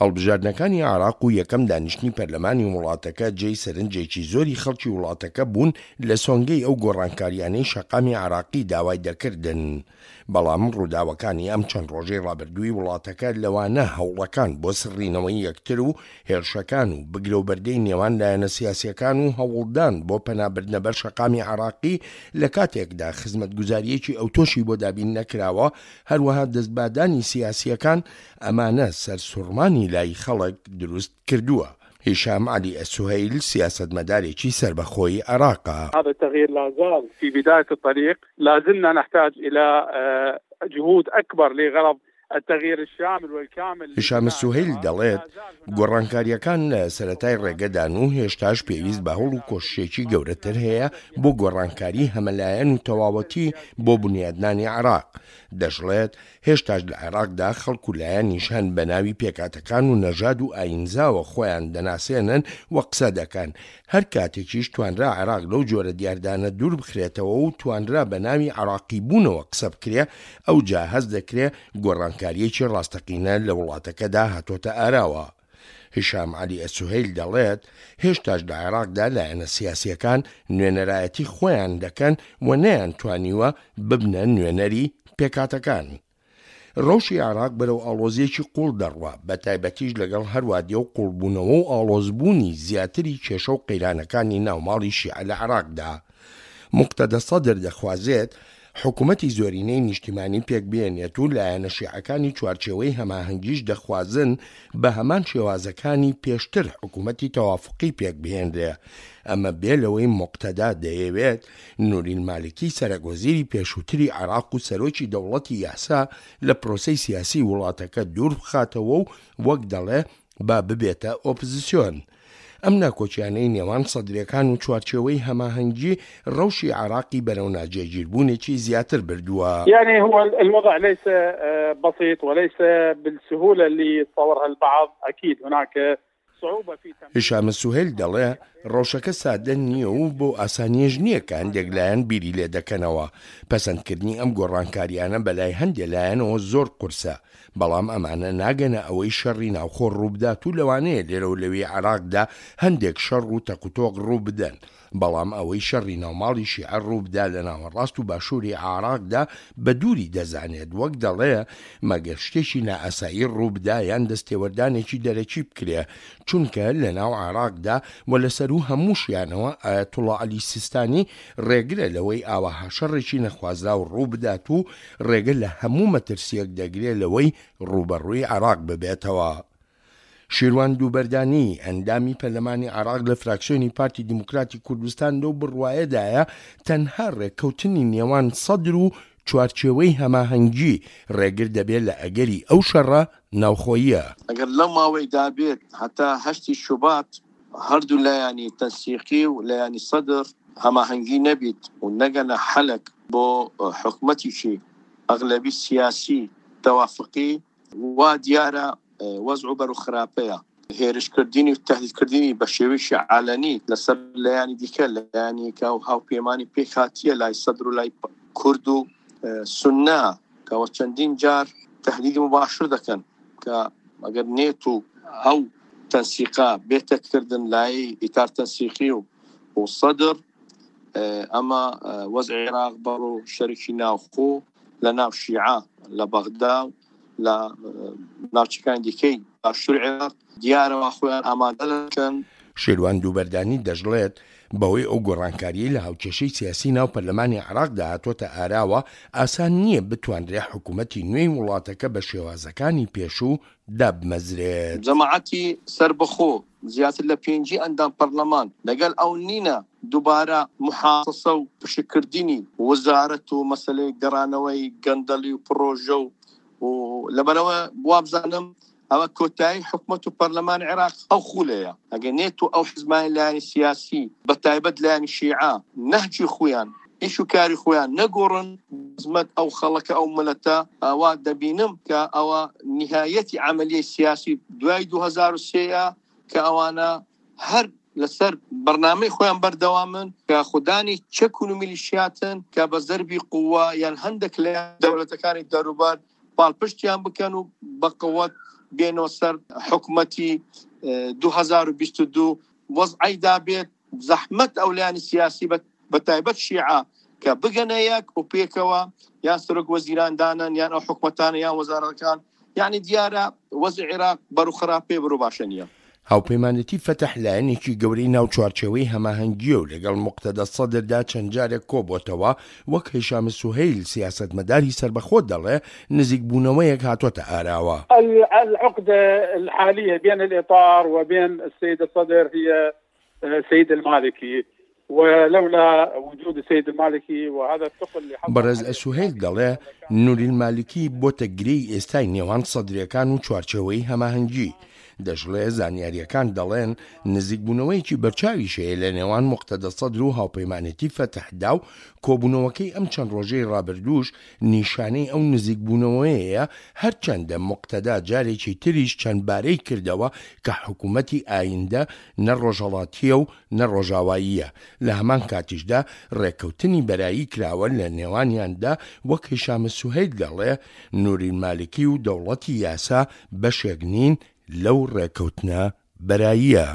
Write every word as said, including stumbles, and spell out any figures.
هەڵبژاردنەکانی عێراق و یەکەم دانیشتنی پەرلەمانی وڵاتەکە جێی سەرنجێکی زۆری خەڵکی وڵاتەکە بوون لە سۆنگەی ئەو گۆڕانکاریانەی شەقامی عێراقی داوای دەکردن. بەڵام ڕووداوەکانی ئەم چەند ڕۆژەی ڕابردووی وڵاتەکە، لەوانە هەوڵەکان بۆ سڕینەوەی یەکتر و هێرشەکان و بگرە و بەردەی نێوان لایەنە سیاسیەکان و هەوڵدان بۆ پەنابردنە بەر شەقامی عێراقی لە کاتێکدا خزمەتگوزاریەکی ئەوتۆشی بۆ دابین نەکراوە، هەروەها دەستبادانی سیاسیەکان، ئەمانە سەرسوڕمانی لای خەڵک دروست کردووە. هیشام عەلی ئەلسوهەیل سیاسەتمەدارێکی سەربەخۆی عێراقە. هذا التغيير لا زال في بداية الطريق، لا زلنا نحتاج إلى جهود أكبر لغرض التغيير الشامل والكامل. هیشام سوهەیل دەڵێت گۆڕانکاریەکان لە سەرەتای ڕێگەدان و هێشتاش پێویست بە هەوڵ و کۆششێکی گەورەتر هەیە بۆ گۆڕانکاری هەمەلایەن و تەواوەتی بۆ بنیادنانی عێراق. دەشڵێت هێشتاش لە عێراقدا خەڵک و لایەنیش هەن بە ناوی پێکهاتەکان و نەژاد و ئاینزاوە خۆیان دەناسێنن و قسە دەکەن. هەر کاتێکیش توانرا عێراق لەو جۆرە دیاردانە دوور بخرێتەوە و توانرا بە ناوی عێراقی بوونەوە قسە بکرێ، ئەوجا هەست دەکرێ گۆڕانکاریەکی ڕاستەقینە لە وڵاتەکەدا هاتۆتە ئاراوە. هیشام عەلی ئەلسوهەیل دەڵێت هێشتاش لە عێراقدا لایەنە سیاسیەکان نوێنەرایەتی خۆیان دەکەن و نەیانتوانیوە ببنە نوێنەری پێکهاتەکان. ڕەوشی عێراق بەرەو ئاڵۆزیەکی قوڵ دەڕوا، بە تایبەتیش لەگەڵ هەروادیە و قوڵبوونەوە و ئاڵۆزبوونی زیاتری کێشە و قەیرانەکانی ناوماڵی شیعە لە عێراقدا. موقتەدا سەدر دەخوازێت حکوومەتی زۆرینەی نیشتیمانی پێکبێنێت و لایەنە شیعەکانی چوارچێوەی هەماهەنگیش دەخوازن بە هەمان شێوازەکانی پێشتر حکوومەتی تەوافقی پێکبهێنرێ. ئەمە بێ لەوەی موقتەدا دەیەوێت نوری المالکی سەرەک وەزیری پێشووتری عێراق و سەرۆکی دەوڵەتی یاسا لە پرۆسەی سیاسی وڵاتەکە دوور بخاتەوە و وەک دەڵێ با ببێتە ئۆپزسیۆن. ئەم ناکۆکیانەی نێوان سەدرەکان و چوارچێوەی هەماهەنگی ڕەوشی عێراقی بەرەو ناجێگیربوونێکی زیاتر بردووە. يعني هو الوضع ليس بسيط وليس بالسهولة اللي يتصورها البعض، أكيد هناك صعوبة في هیشام سوهەیل دەڵێ ڕەوشەکە سادە نییە و بۆ ئاسانیەش نییە کە هەندێک لایەن بیری لێ دەکەنەوە. پەسەندکردنی ئەم گۆڕانکاریانە بەلای هەندێک لایەنەوە زۆر قورسە، بەڵام ئەمانە ناگەنە ئەوەی شەڕی ناوخۆ ڕووبدات و لەوانەیە لێرە و لەوێی عێراقدا هەندێک شەڕ و تەقوتۆق ڕووبدەن، بەڵام ئەوەی شەڕی ناوماڵی شیعە ڕووبدا لە ناوەڕاست و باشووری عێراقدا بە دووری دەزانێت. وەک دەڵێ مەگەر شتێکی نائاسایی ڕووبدا یان دەستێوەردانێکی دەرەکی بکرێ، چونکە لە ناو عێراقدا و لەسەر و هەمووشیانەوە ئایەتوڵڵا عەلی سیستانی ڕێگرە لەوەی ئاواها شەڕێکی نەخوازراو ڕووبدات و ڕێگە لە هەموو مەترسیەک دەگرێ لەوەی ڕووبەڕووی عێراق ببێتەوە. شیروان دووبەردانی ئەندامی پەرلەمانی عێراق لە فراکسیۆنی پارتی دیموکراتی کوردستان لەو بڕوایەدایە تەنها ڕێککەوتنی نێوان سەدر و چوارچێوەی هەماهەنگی ڕێگر دەبێت لە ئەگەری ئەو شەڕە ناوخۆییە. ئەگەر لەو ماوەیدا بێت هەتا هەشتی شوبات هەردوو لایەنی تەنسیقی و لایەنی سەدر هەماهەنگی نەبیت و نەگەنە حەلک بۆ حکومەتێکی ئەغلەبی سیاسی تەوافقی، وا دیارە وەزع بەرەو خراپەیە. هێرشکردنی و تەهدیدکردنی بە شێوەیەکی عالەنی لەسەر لایەنی دیکە، لایەنی کە هاوپەیمانی پێکهاتیە لای سەدر و لای کورد و سوننە، کەەوە چەندین جار تەهدیدی مباشر دەکەن کە ئەگەر نێت و ئەو تەنسیقا بێتەکردن لای ئیتار تەنسیقی و و سەدر، ئەمە وەزع عێراق بەڕۆ شەرکی ناوخۆ لە ناو شیعە لە بەغدا و لە ناوچەکانی دیکەی باشووری عێراق دیارەوە خۆیان ئامادە دەکەن. شێروان دووبەردانی دەشڵێت بەهۆی ئەو گۆڕانکاریەی لە هاوکێشەی سیاسی ناو پەرلەمانی عێراقدا هاتۆتە ئاراوە، ئاسان نییە بتوانرێ حکوومەتی نوێی وڵاتەکە بە شێوازەکانی پێشوو دابمەزرێت. جەماعەتی سەربەخۆ زیاتر لە پێنجی ئەندام پەرلەمان لەگەڵ ئەو نینە دووبارە محاسسە و پشکردنی وەزارەت و مەسلەی گەڕانەوەی گەندەڵی و پرۆژە و لەبەرەوە وابزانم ئەوە کۆتایی حکومەت و پەرلەمان عێراق ئەو خولەیە. ئەگەر نێت و ئەو حزبانی لایەنی سیاسی بە تایبەت لایەنی شیعە نەهجی خۆیان ئیش و کاری خۆیان نەگۆڕن خزمەت ئەو خەڵەکە ئەو ملەتە، ئەوە دەبینم کە ئەوە نهایەتی عملیەی سیاسی دوای دوو هەزار و سێیە کە ئەوانە هەر لەسەر بەرنامەی خۆیان بەردەوامن کە خودانی چەک و میلیشیاتن کە بە زەربی قووە یان هەندێک لە دەوڵەتەکانی دەروبەر پاڵپشتیان بکەن و بە قووەت بێنەوە سەر حکومەتی دوو هەزار و بیست و دوو وەزعی دابێت زەحمەت ئەو لایەنی سیاسی بە تایبەت شیعە کە بگەنە یەک و پێکەوە یان سەرۆک وەزیران دانن یان ئەو حکومەتانە یان وەزارەتەکان، یعنی دیارە وەزع عێراق بەرەو خراپێ بەرەو باشە نییە. هاوپەیمانێتی فەتح لایەنێکی گەورەی ناو چوارچێوەی هەماهەنگیە و لەگەڵ مقتەدا سەدردا چەند جارێک کۆبۆتەوە، وەک هیشام سوهەیل سیاسەتمەداری سەربەخۆ دەڵێ نزیکبوونەوەیەک هاتۆتە ئاراوە. العقدة الحالية بين الإطار وبين السيد الصدر هي السيد المالكي، ولولا وجود السيد المالكي وهذا الثقل اللي حصل. بەڕێز سوهەیل دەڵێ نوری المالکی بۆتە گرێی ئێستای نێوان سەدرەکان و چوارچێوەی هەماهەنگی. دەشڵێ زانیاریەکان دەڵێن نزیکبوونەوەیەکی بەرچاویش هەیە لە نێوان مقتەدا سەدر و هاوپەیمانێتی فەتحدا و کۆبوونەوەکەی ئەم چەند ڕۆژەی ڕابردووش نیشانەی ئەو نزیکبوونەوەیەیە، هەرچەندە مقتەدا جارێکی تریش چەند بارەی کردەوە کە حکوومەتی ئایندە نە ڕۆژهەڵاتیە و نە ڕۆژاواییە. لە هەمان کاتیشدا ڕێککەوتنی بەرایی کراوە لە نێوانیاندا، وەک هیشام سوهەیل دەڵێ نوری مالکی و دەوڵەتی یاسا بەشێک نین لەو ڕێککەوتنە بەراییە.